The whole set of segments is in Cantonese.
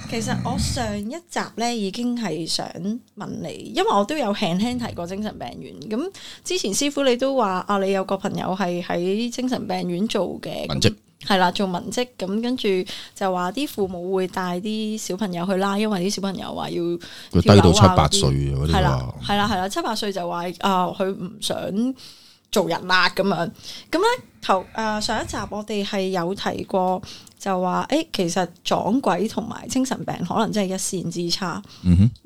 其實我上一集咧已經係想問你，因為我都有輕輕提過精神病院。咁之前師傅你都話啊，你有個朋友係喺精神病院做嘅文職，係啦，做文職咁，跟住就話啲父母會帶啲小朋友去啦，因為啲小朋友話要佢低到7-8歲嗰啲係啦，7-8歲就話啊，佢唔想做人啦咁樣。咁咧上一集我哋係有提過。就話其實撞鬼同埋精神病可能真係一線之差。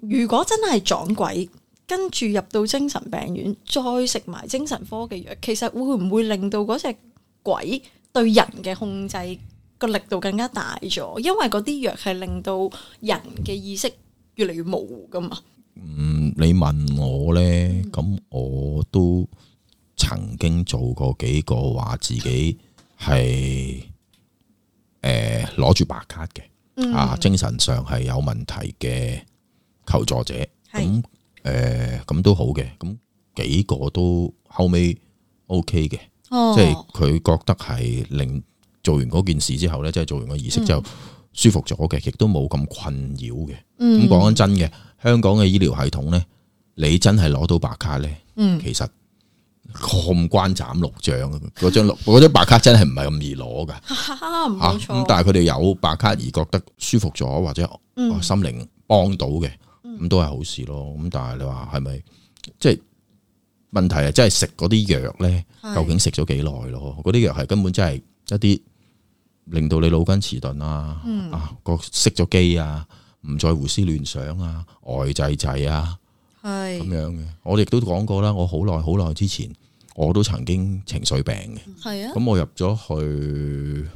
如果真係撞鬼，跟住入到精神病院，再食埋精神科嘅藥，其實會唔會令到嗰隻鬼對人嘅控制個力度更加大咗？因為嗰啲藥係令到人嘅意識越嚟越模糊噶嘛。你問我咧，咁我都曾經做過幾個話自己係攞住白卡嘅，精神上係有問題嘅求助者，咁都好嘅，咁幾個都後尾 OK 嘅，即係佢覺得係令做完嗰件事之後咧，即係做完個儀式之後舒服咗嘅，亦都冇咁困擾嘅。咁講緊真嘅，香港嘅醫療系統咧，你真係攞到白卡咧，其實過關斬六將嗰張白卡真係唔係咁易攞噶，冇錯。咁但係佢哋有白卡而覺得舒服咗或者心靈幫到嘅，咁都係好事咯。咁但係你話係咪即係問題係真係食嗰啲藥咧？究竟食咗幾耐咯？嗰啲藥係根本真係一啲令到你腦筋遲鈍啊，個熄咗機啊，唔再胡思亂想啊，呆滯滯啊。係咁樣嘅，我亦都講過啦。我好耐之前，我都曾經情緒病嘅。係啊，咁我入咗去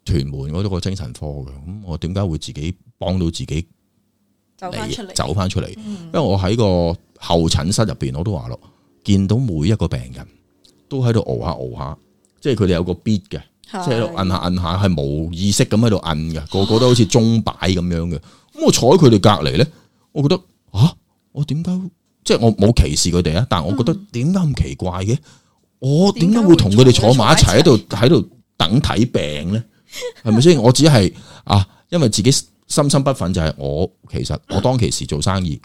屯門嗰個精神科嘅。咁我點解會自己幫到自己走翻出嚟？因為我喺個候診室入邊，我都話咯，見到每一個病人都喺度熬下，即係佢哋有個 beat 嘅，即係喺度摁下，係冇意識咁喺度摁嘅，個個都好似鐘擺咁樣嘅。咁我坐喺佢哋隔籬咧，我覺得我點解即係我冇歧視佢哋啊？但係我覺得點解咁奇怪嘅？我點解會同佢哋坐埋一齊喺度等睇病咧？係咪先？我只係因為自己深深不忿，就係其實我當其時做生意，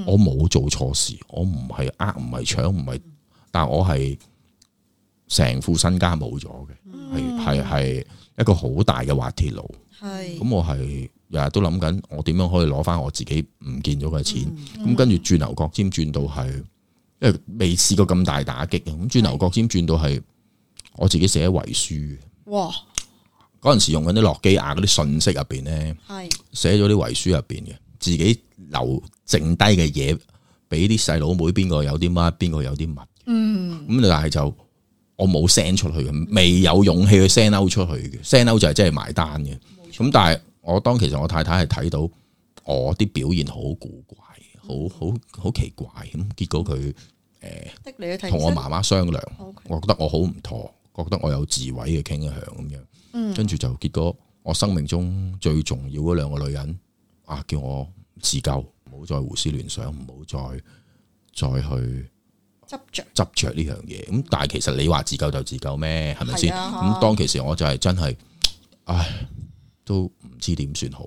我冇做錯事，我唔係唔係搶，唔係，但我係成副身家冇咗嘅，係一個好大嘅滑鐵盧。咁我係日日都諗緊，我點樣可以攞翻我自己唔見咗嘅錢？咁跟住轉牛角尖轉到係，因為未試過咁大打擊。咁轉牛角尖轉到係，我自己寫遺書。哇！嗰陣時用緊啲諾基亞嗰啲信息入邊咧，寫咗啲遺書入邊嘅，自己留剩低嘅嘢，俾啲細佬妹邊個有啲乜，邊個有啲乜。咁但係就我冇 send 出去嘅，未有勇氣去 send out 出去嘅，send out 就係真係埋單嘅。咁但係我當其實我太太係睇到我啲表現好古怪，好奇怪咁，結果佢同我媽媽商量，我覺得我好唔妥，覺得我有自毀嘅傾向咁樣，跟住就結果我生命中最重要嗰兩個女人叫我自救，唔好再胡思亂想，唔好再去執着呢樣嘢。咁但係其實你話自救就自救咩？係咪先？咁當其時我就係真係都唔知點算好，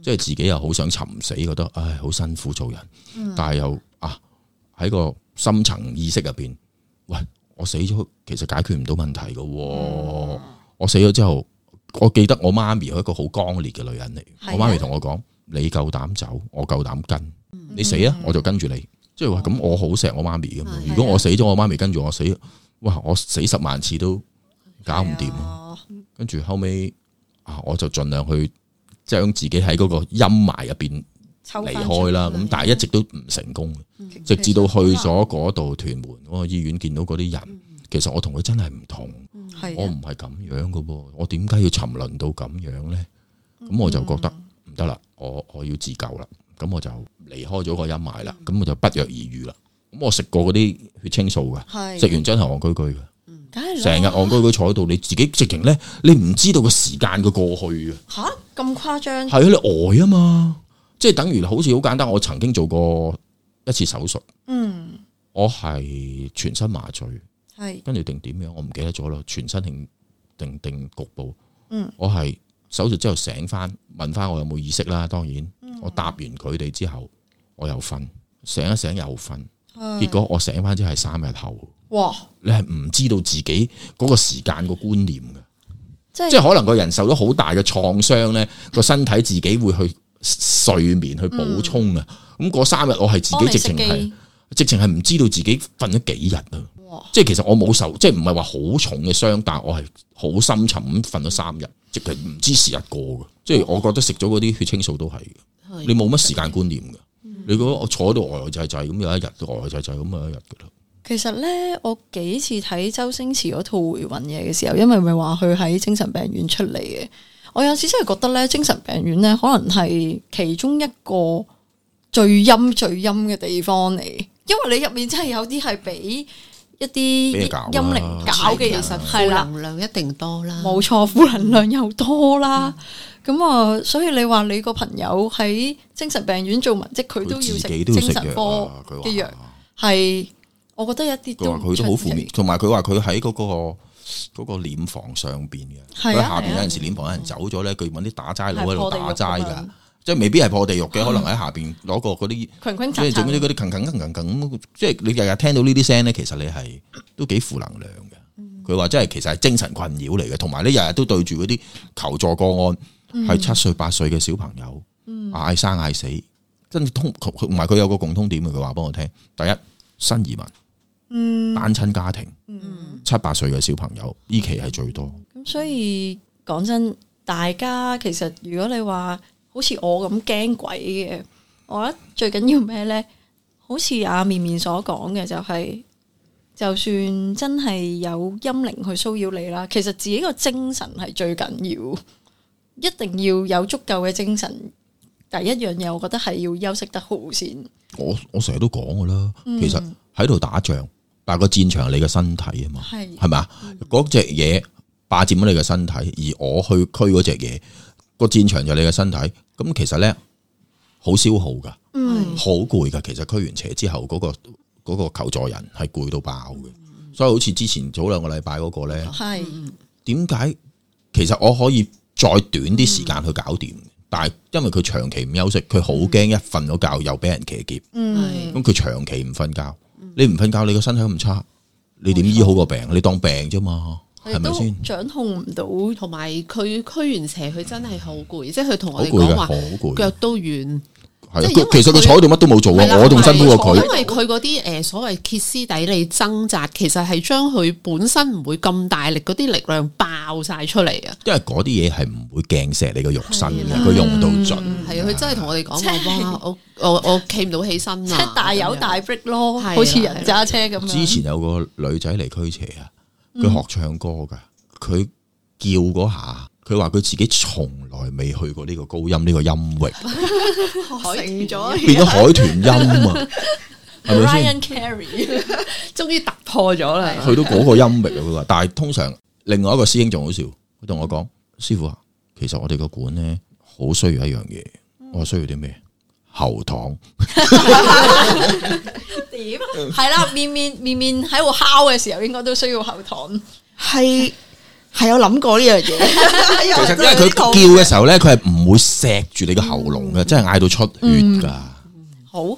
即係自己又好想尋死，覺得好辛苦做人，但係又喺個深層意識入邊，喂，我死咗其實解決唔到問題噶。我死咗之後，我記得我媽咪係一個好剛烈嘅女人嚟，我媽咪同我講：你夠膽走，我夠膽跟，你死啊，我就跟住你。即係話咁，我好錫我媽咪噶嘛。如果我死咗，我媽咪跟住我死，哇！我死10萬次都搞唔掂。跟住後尾。我就盡量去將自己喺嗰個陰霾入邊離開啦，咁但係一直都唔成功，直至到去咗嗰度屯門嗰個醫院見到嗰啲人，其實我同佢真係唔同，我唔係咁樣噶噃，我點解要沉淪到咁樣咧？咁我就覺得唔得啦，我要自救啦，咁我就離開咗個陰霾啦，咁我就不藥而癒啦。咁我食過嗰啲血清素噶，食完真係戇居居嘅。成日戇居居坐喺度，你自己直情咧，你唔知道個時間嘅過去嘅。吓，咁誇張？係啊，你呆啊嘛，即係等於好似好簡單。我曾經做過一次手術，我係全身麻醉，跟住定點樣，我唔記得咗咯。全身定局部，我係手術之後醒翻，問翻我有冇意識啦。當然，我答完佢哋之後，我又瞓，醒一醒又瞓，結果我醒翻之後係3日後。哇！你係唔知道自己嗰個時間個觀念嘅，即係可能個人受咗好大嘅創傷咧，個身體自己會去睡眠去補充啊。咁嗰3日我係自己直情係唔知道自己瞓咗幾日啊。即係其實我冇受，即係唔係話好重嘅傷，但係我係好深沉咁瞓咗3日，即係唔知時日過嘅。即係我覺得食咗嗰啲血清素都係嘅，你冇乜時間觀念嘅。你覺得我坐喺度呆滯滯咁，有一日呆滯滯咁有一日噶啦。其實咧，我幾次睇周星馳嗰套回魂夜嘅時候，因為咪話佢喺精神病院出嚟嘅，我有時真係覺得咧，精神病院咧可能係其中一個最陰嘅地方嚟，因為你入面真係有啲係俾一啲陰靈搞嘅人，其實負能量一定多啦，冇錯，負能量又多啦。咁啊，所以你話你個朋友喺精神病院做文職，佢都要食精神科嘅藥，係。我覺得一啲都佢都好負面，同埋佢話佢喺嗰個殮房上邊嘅，佢下邊有陣時殮房有人走咗咧，佢揾啲打齋佬喺度打齋噶，即係未必係破地獄嘅，可能喺下邊攞個嗰啲，即係整嗰啲鏗，即係你日日聽到呢啲聲咧，其實你係都幾負能量嘅。佢話真係其實係精神困擾嚟嘅，同埋你日日都對住嗰啲求助個案，係7歲8歲嘅小朋友，嗌生嗌死，跟住同埋佢有個共通點嘅，佢話幫我聽，第一新移民。單親家庭，7、8歲嘅小朋友，呢期係最多。咁所以講真，大家其實如果你話好似我咁驚鬼嘅，我覺得最緊要咩呢？好似阿綿綿所講嘅，就係就算真係有陰靈去騷擾你啦，其實自己個精神係最緊要，一定要有足夠嘅精神。第一樣嘢，我覺得係要休息得好先。我成日都講噶啦，其實喺度打仗。但係個戰場係你嘅身體啊嘛，係咪？嗰隻嘢霸佔咗你嘅身體，而我去驅嗰隻嘢，個戰場就係你嘅身體。咁其實咧好消耗噶，好攰噶。其實驅完邪之後，嗰個求助人係攰到爆嘅。所以好似之前早2個禮拜嗰個咧，點解其實我可以再短啲時間去搞掂？但係因為佢長期唔休息，佢好驚一瞓咗覺又俾人騎劫。咁佢長期唔瞓覺。你唔瞓覺，你個身體咁差，你點醫好個病？你當病啫嘛，係咪先？掌控唔到，同埋佢驅完邪，佢真係好攰，即係佢同我哋講話，腳都軟。係，其實佢坐喺度乜都冇做啊，我仲辛苦過佢。因為佢嗰啲所謂歇斯底里掙扎，其實係將佢本身唔會咁大力嗰啲力量爆晒出嚟啊！因為嗰啲嘢係唔會鏡石你個肉身嘅，佢用到盡。係啊，佢真係同我哋講話，我企唔到起身啊！即係大有大 break 咯，好似人揸車咁樣。之前有個女仔嚟驅邪啊，佢學唱歌噶，佢叫嗰下。佢話佢自己從來未去過呢個高音呢個音域，成咗變咗海豚音啊！係咪先 ？Ryan Carey 終於突破咗啦，去到嗰個音域啊！佢話，但係通常另外一個師兄仲好笑，佢同我講：師傅啊，其實我哋個館咧好需要一樣嘢，我需要啲咩？喉糖。點？係啦，面喺度敲嘅時候，應該都需要喉糖。係有諗過呢樣嘢，其實因為佢叫嘅時候咧，佢係唔會錫住你個喉嚨嘅，真係嗌到出血噶。好，